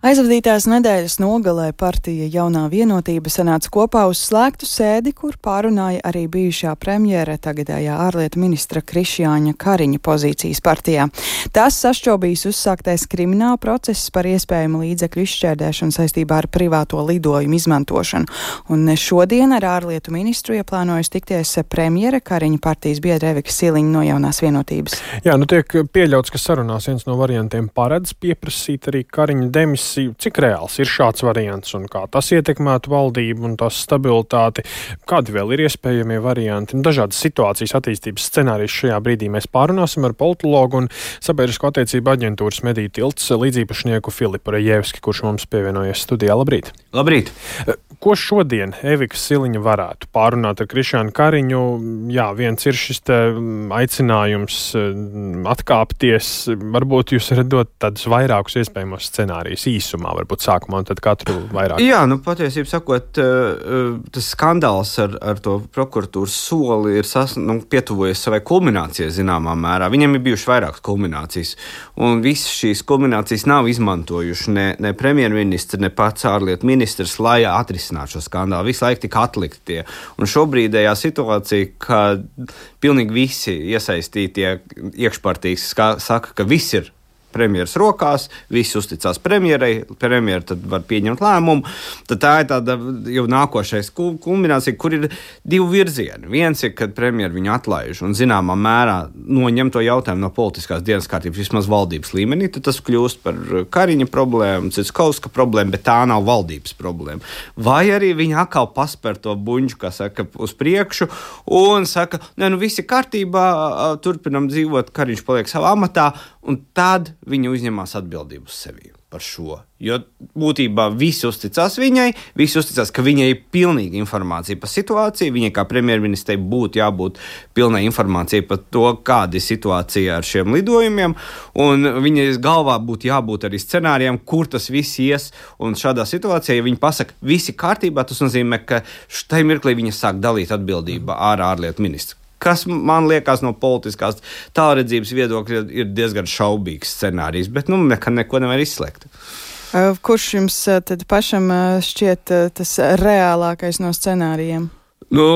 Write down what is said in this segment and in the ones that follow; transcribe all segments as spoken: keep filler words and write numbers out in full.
Aizvadītās nedēļas nogalē partija Jaunā vienotība sanāca kopā uz slēgtu sēdi, kur pārunāja arī bijušā premjera, tagadējā ārlietu ministra Krišjāņa Kariņa pozīcijas partijā. Tas sašķobījis uzsāktais krimināla process par iespējamu līdzekļu izšķērdēšanu saistībā ar privāto lidojumu izmantošanu. Un šodien ar ārlietu ministru ieplānojas tikties premjera Kariņa partijas biedra Evika Siliņa no Jaunās vienotības. Jā, nu tiek pieļauts, ka sarunās viens no variantiem paredz pieprasīt arī Kariņa demisiju. Cik reāls ir šāds variants un kā tas ietekmētu valdību un tās stabilitāti? Kādi vēl ir iespējamie varianti? Dažādas situācijas attīstības scenārijas šajā brīdī mēs pārunāsim ar politologu un sabiedrisko attiecību aģentūras Mediju tilts līdzīpašnieku Filipu Rejevski, kurš mums pievienojies studijā. Labrīt! Labrīt! Ko šodien Evika Siliņa varētu pārunāt ar Krišjānu Kariņu? Jā, viens ir šis te aicinājums atkāpties. Varbūt jūs varat dot tādus vairākus iespējamos scenārijus īsumā, varbūt sākumā, un tad katru vairāk. Jā, nu patiesībā sakot, tas skandāls ar, ar to prokuratūras soli ir sas, nu, pietuvojies savai kulminācijai zināmā mērā. Viņam ir bijuši vairākas kulminācijas, un visas šīs kulminācijas nav izmantojuši ne, ne premjerministri, ne pats ārlietu ministrs, lai atrisinātu šo skandālu. Visu laiku tika atlikti tie. Un šobrīdējā situācija, kad pilnīgi visi iesaistītie iekšpartijas saka, ka viss ir premjeras rokās, visi uzticās premjerai, premjera tad var pieņemt lēmumu, tad tā ir tāda jau nākošais kulminācija, kur ir divi virzieni. Viens ir, kad premjera viņu atlaiž un zināmā mērā noņem to jautājumu no politiskās dienas kārtības, vismaz valdības līmenī, tad tas kļūst par Kariņa problēmu, Citskovska problēmu, bet tā nav valdības problēma. Vai arī viņi atkal paspēr to buņģu, kā saka, uz priekšu un saka, ne, nu visi kārtībā, turpinam dzīvot, Kariņš paliek savā amatā, un tad viņi uzņemās atbildību uz sevi par šo. Jo būtībā visi uzticās viņai, visi uzticās, ka viņai ir pilnīga informācija par situāciju, viņai kā premjerministrei būtu jābūt pilnai informācijai par to, kāda ir situācija ar šiem lidojumiem, un viņai galvā būtu jābūt arī scenārijiem, kur tas viss ies, un šādā situācijā, ja viņi pasaka, visi kārtībā, tas nozīmē, ka štai mirklī viņa sāk dalīt atbildību ar ārlietu ministru. Kas man liekas no politiskās tālredzības viedokļa ir diezgan šaubīgs scenārijs, bet nu nekad neko nevar izslēgt. Kurš jums tad pašam šķiet tas reālākais no scenārijiem? Nu,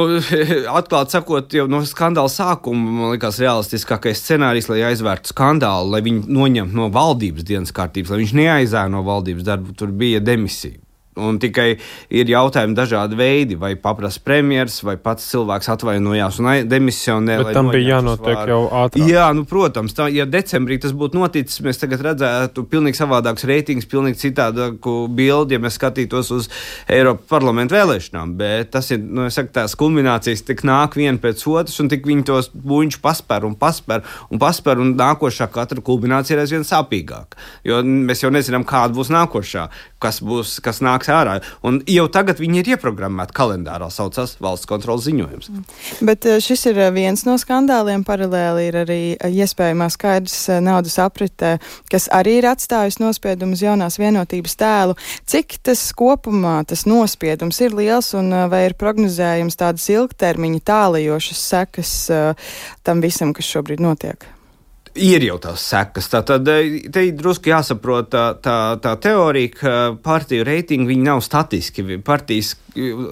atklāt sakot, jau no skandāla sākuma, man liekas, realistiskākais scenārijs, lai aizvērtu skandālu, lai viņu noņemtu no valdības dienas kārtības, lai viņš neaizēja no valdības darbu, tur bija demisija. Un tikai ir jautājumi dažādi veidi, vai paprasa premjers, vai pats cilvēks atvainojās un demisionē. Bet tam bija jānotiek jau ātrāk. Jā, nu, protams, tā, ja decembrī tas būtu noticis, mēs tagad redzētu pilnīgi savādākus reitingus, pilnīgi citādāku bildi, ja mēs skatītos uz Eiropas parlamentu vēlēšanām. Bet tas ir, nu, es saku, tās kulminācijas tik nāk viena pēc otras, un tik viņi tos buņķus pasper un pasper un pasper, un nākošā katra kulminācija ir aizvien sāpīgāka. Jo mēs jau nezinām, kāda būs nākošā, kas būs, kas nāks ārā. Un jau tagad viņi ir ieprogrammēti kalendārā, saucās valsts kontrolas ziņojums. Bet šis ir viens no skandāliem, paralēli ir arī iespējamā skaidrs naudas aprite, kas arī ir atstājis nospiedumu uz Jaunās vienotības tēlu. Cik tas kopumā, tas nospiedums ir liels un vai ir prognozējums tādas ilgtermiņa tālajošas sekas tam visam, kas šobrīd notiek? Ir jau tās sekas. Tātad te ir drusku jāsaprot tā, tā, tā teorija, ka partiju reitingi viņi nav statiski. Partijas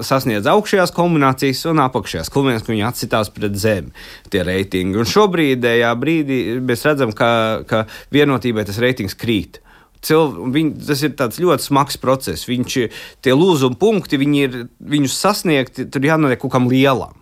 sasniedz augšējās kulminācijas un apakšējās kulminācijas, ka viņi atsitās pret zemi tie reitingi. Un šobrīdējā brīdī mēs redzam, ka, ka vienotībai tas reitings krīt. Cilv, viņ, tas ir tāds ļoti smags process. Viņš, tie lūzuma punkti, viņi ir, viņus sasniegt, tur jānotiek kaut kam lielam.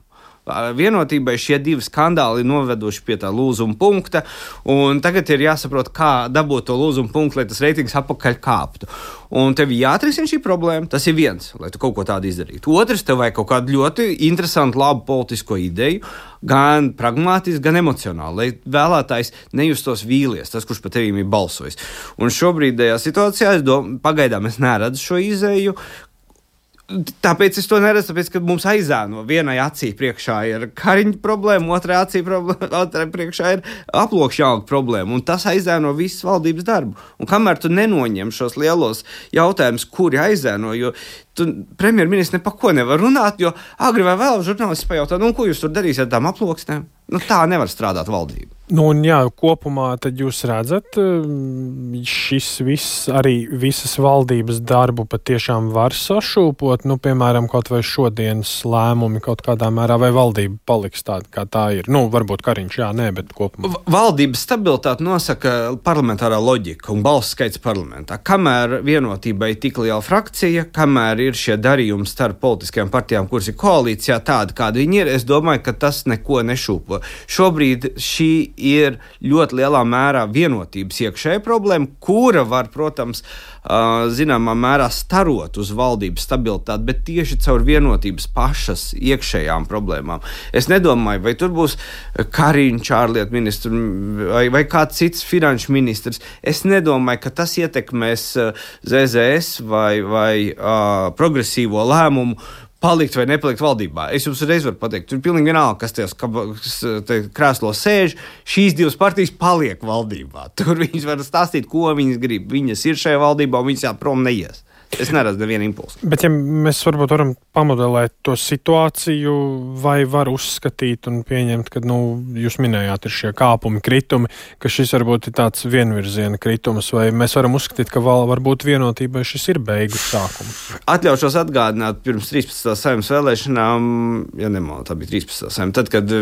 Vienotībai šie divi skandāli ir noveduši pie tā lūzuma punkta, un tagad ir jāsaprot, kā dabūt to lūzuma punktu, lai tas reitings apakaļ kāptu. Un tev jāatrisina šī problēma, tas ir viens, lai tu kaut ko tādu izdarītu. Otrs, tev vajag kaut kādu ļoti interesantu, labu politisko ideju, gan pragmātiski, gan emocionāli, lai vēlētājs nejustos vīlies, tas, kurš par tevīm ir balsojis. Un šobrīdējā situācijā, es domāju, pagaidām es neredzu šo izeju. Tāpēc es to neredzu, tāpēc, ka mums aizēno vienai acī priekšā ir Kariņa problēma, otrai acī problēma, otrai priekšā ir aploksņauga problēma, un tas aizēno visas valdības darbu. Un kamēr tu nenoņem šos lielos jautājumus, kuri aizēno, jo tu premjerministrs ne pa ko nevar runāt, jo agri vai vēl žurnālisti pajautā, nu, ko jūs tur darīsiet ar tām aploksnēm? Nu, tā nevar strādāt valdība. Nu, un jā, kopumā tad jūs redzat, šis viss, arī visas valdības darbu patiešām var sašūpot, nu, piemēram, kaut vai šodienas lēmumi kaut kādā mērā, vai valdība paliks tāda, kā tā ir? Nu, varbūt Kariņš, jā, nē, bet kopumā. Valdības stabilitāti nosaka parlamentārā loģika un balsu skaits parlamentā. Kamēr vienotībai tik liela frakcija, kamēr ir šie darījumi starp politiskajām partijām, kuras ir koalīcijā, tāda, kāda viņi ir, es domāju, ka tas neko nešūpo. Šobrīd šī ir ļoti lielā mērā vienotības iekšēja problēma, kura var, protams, zināmā mērā starot uz valdības stabilitāti, bet tieši caur vienotības pašas iekšējām problēmām. Es nedomāju, vai tur būs Kariņš ārlietu ministrs vai, vai kāds cits finanšu ministrs. Es nedomāju, ka tas ietekmēs Z Z S vai, vai uh, progresīvo lēmumu palikt vai nepalikt valdībā. Es jums reiz varu pateikt, tur ir pilnīgi vienalga, kas tajos krēslos sēž, šīs divas partijas paliek valdībā. Tur viņas var stāstīt, ko viņas grib. Viņas ir šajā valdībā un viņas jāprom neies. Es neredzu nevienu impulsu. Bet ja mēs varbūt varam pamodelēt to situāciju, vai var uzskatīt un pieņemt, ka, nu, jūs minējāt, ir šie kāpumi, kritumi, ka šis varbūt ir tāds vienvirziena kritums, vai mēs varam uzskatīt, ka vēl varbūt vienotībai šis ir beigu sākums? Atļaušos atgādināt pirms trīspadsmitās Saeimas vēlēšanām, ja nemaldu, tā bija trīspadsmitā Saeima, tad, kad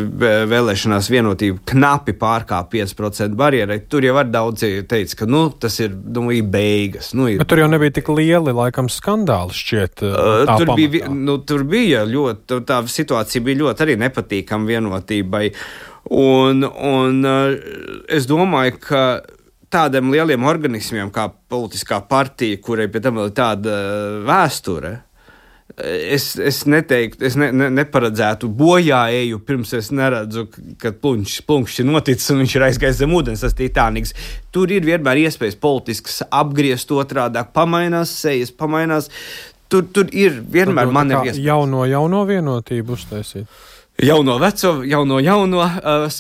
vēlēšanās vienotība knapi pārkāpa pieci procenti barjerai, tur jau var daudzi teica, ka, nu, tas ir, nu, ir beigas. Nu, ir... Bet tur jau nebija tik lieli, laikam skandāli šķiet. Tā tur, bija, nu, tur bija ļoti, tā situācija bija ļoti arī nepatīkama vienotībai. Un, un es domāju, ka tādiem lieliem organismiem kā politiskā partija, kurai pie tam vēl ir tāda vēsture, es, es neteiktu, es ne, ne, neparedzētu bojāēju, pirms es neredzu, ka plunkšs ir noticis un viņš ir aizgājis zem ūdens, tas Titāniks. Tur ir vienmēr iespējas politiskas apgriezt otrādāk, pamainās sejas, pamainās. Tur, tur ir vienmēr manevri iespējas. Jauno, jauno vienotību uztaisīt. Jauno veco, jauno jauno, uh,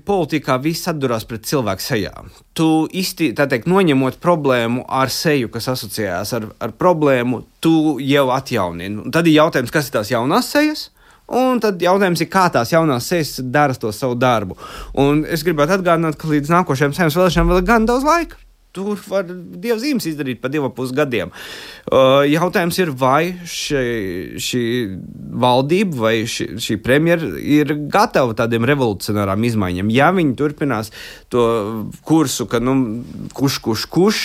politikā viss atdurās pret cilvēku sejām. Tu īsti, tā teikt, noņemot problēmu ar seju, kas asociējās ar, ar problēmu, tu jau atjaunini. Tad ir jautājums, kas ir tās jaunās sejas, un tad jautājums ir, kā tās jaunās sejas dara to savu darbu. Un es gribētu atgādināt, ka līdz nākošajām Saeimas vēlēšanām vēl ir gan daudz laika. Tur var dievzīmes izdarīt pa divu pus gadiem. Uh, jautājums ir, vai šī, šī valdība vai šī, šī premjera ir gatava tādiem revolucionārām izmaiņām. Ja viņi turpinās to kursu, ka nu, kuš, kuš, kuš,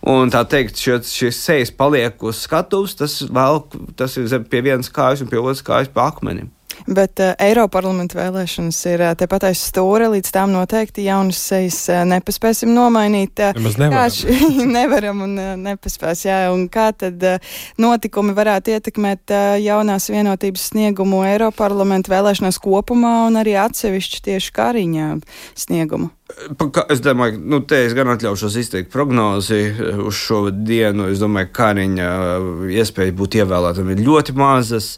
un tā teikt, šis sejas paliek uz skatuves, tas vēl, tas ir pie vienas kājas un pie otras kājas pa akmenim. Bet uh, Eiroparlamenta vēlēšanas ir uh, tepat aiz stūra, līdz tām noteikti jaunas sejas uh, nepaspēsim nomainīt. Uh, Nemaz nevaram. Š... nevaram un uh, nepaspēs, jā. Un kā tad uh, notikumi varētu ietekmēt uh, jaunās vienotības sniegumu Eiroparlamenta vēlēšanās kopumā un arī atsevišķi tieši Kariņa sniegumu? Es domāju, nu, te es gan atļaušos izteikt prognozi uz šo dienu. Es domāju, ka Kariņa iespēja būt ievēlētam ir ļoti mazas.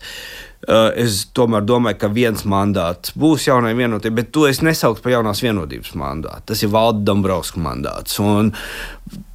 Es tomēr domāju, ka viens mandāts būs jaunai vienotībai, bet to es nesauktu par jaunās vienotības mandātu. Tas ir Valda Dombrovska mandāts. Un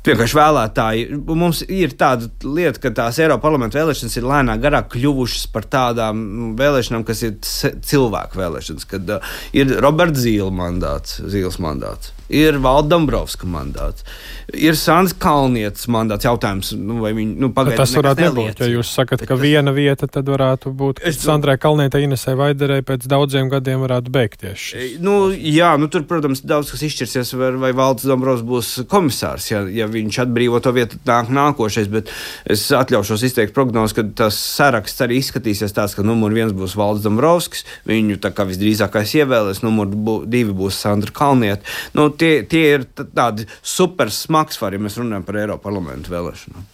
vienkārši vēlētāji, mums ir tāda lieta, ka tās Eiroparlamenta vēlēšanas ir lēnā garā kļuvušas par tādām vēlēšanām, kas ir cilvēku vēlēšanas, kad uh, ir Roberts Zīle mandāts, Zīles mandāts, ir Valda Dombrovska mandāts, ir Sandra Kalnietes mandāts. Jautājums, nu, vai viņi, nu, pagaidām tas varētu nebūt, ja jūs sakat, ka viena vieta tad varētu būt, ka Sandrai Kalnietei, Inesai Vaiderei pēc daudziem gadiem varētu beigties. Nu, jā, nu, tur, protams, daudz kas izšķirsies, vai, vai Valds Dombrovs būs komisārs, ja, ja viņš atbrīvo to vietu nāk nākošais, bet es atļaušos izteikt prognozi, ka tas saraksts arī izskatīsies tāds, ka numur viens būs Valds Dombrovskis, viņu tā kā visdrīzākais ievēlēs, numur bū, divi būs Sandra Kalniete. Nu, tie, tie ir tādi super smagsvari, ja mēs runājam par Eiroparlamentu vēlēšanām.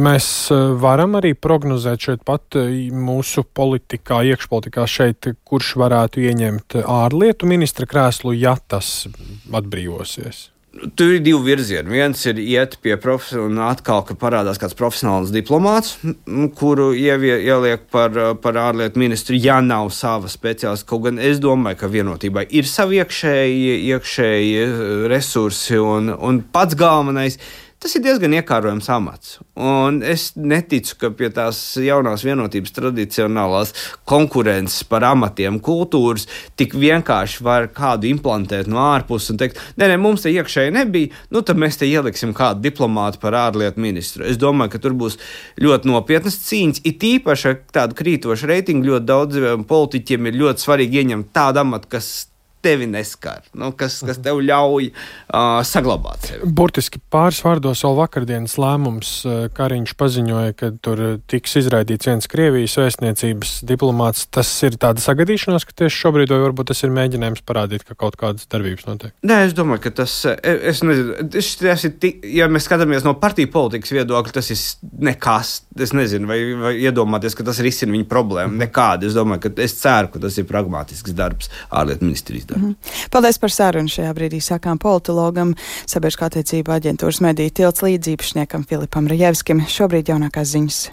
Mēs varam arī prognozēt šeit pat mūsu politikā, iekšpolitikā šeit, kurš varētu ieņemt ārlietu ministra krēslu, ja tas atbrīvosies. Tur ir divi virzieni. Viens ir iet pie profesionāla un atkal, ka parādās kāds profesionāls diplomāts, kuru ievie, ieliek par, par ārlietu ministru, ja nav sava speciālista. Kaut gan es domāju, ka vienotībai ir savi iekšēji, iekšēji resursi un, un pats galvenais. tas ir diezgan iekārojams amats. Un es neticu, ka pie tās jaunās vienotības tradicionālās konkurences par amatiem kultūras tik vienkārši var kādu implantēt no ārpuses un teikt, nē, nē, mums te iekšēji nebija, nu tad mēs te ieliksim kādu diplomātu par ārlietu ministru. Es domāju, ka tur būs ļoti nopietnas cīņas, it īpaši ar tādu krītošu reitingu ļoti daudz politiķiem ir ļoti svarīgi ieņemt tādu amatu, kas tevi neskar, nu, kas, kas tev ļauj uh, saglabāt sevi. Burtiski pāris vārdos vēl vakardienas lēmums. Kariņš paziņoja, ka tur tiks izraidīts viens Krievijas vēstniecības diplomāts. Tas ir tāda sagadīšanās, ka tieši šobrīd vai varbūt tas ir mēģinājums parādīt, ka kaut kādas darbības notiek? Nē, es domāju, ka tas, es nezinu, tas ir, ja mēs skatāmies no partiju politikas viedokļa, tas ir nekas, es nezinu, vai, vai iedomāties, ka tas risina viņu problēmu. Nekādi, es domāju, ka es ceru, ka tas ir pragmatisks darbs ārlietu ministrijas. Mm. Paldies par sarunu. Šajā brīdī sākām politologam, sabiedriskā attiecība aģentūras mediju tilts līdziepašniekam Filipam Rajevskim. Šobrīd jaunākās ziņas.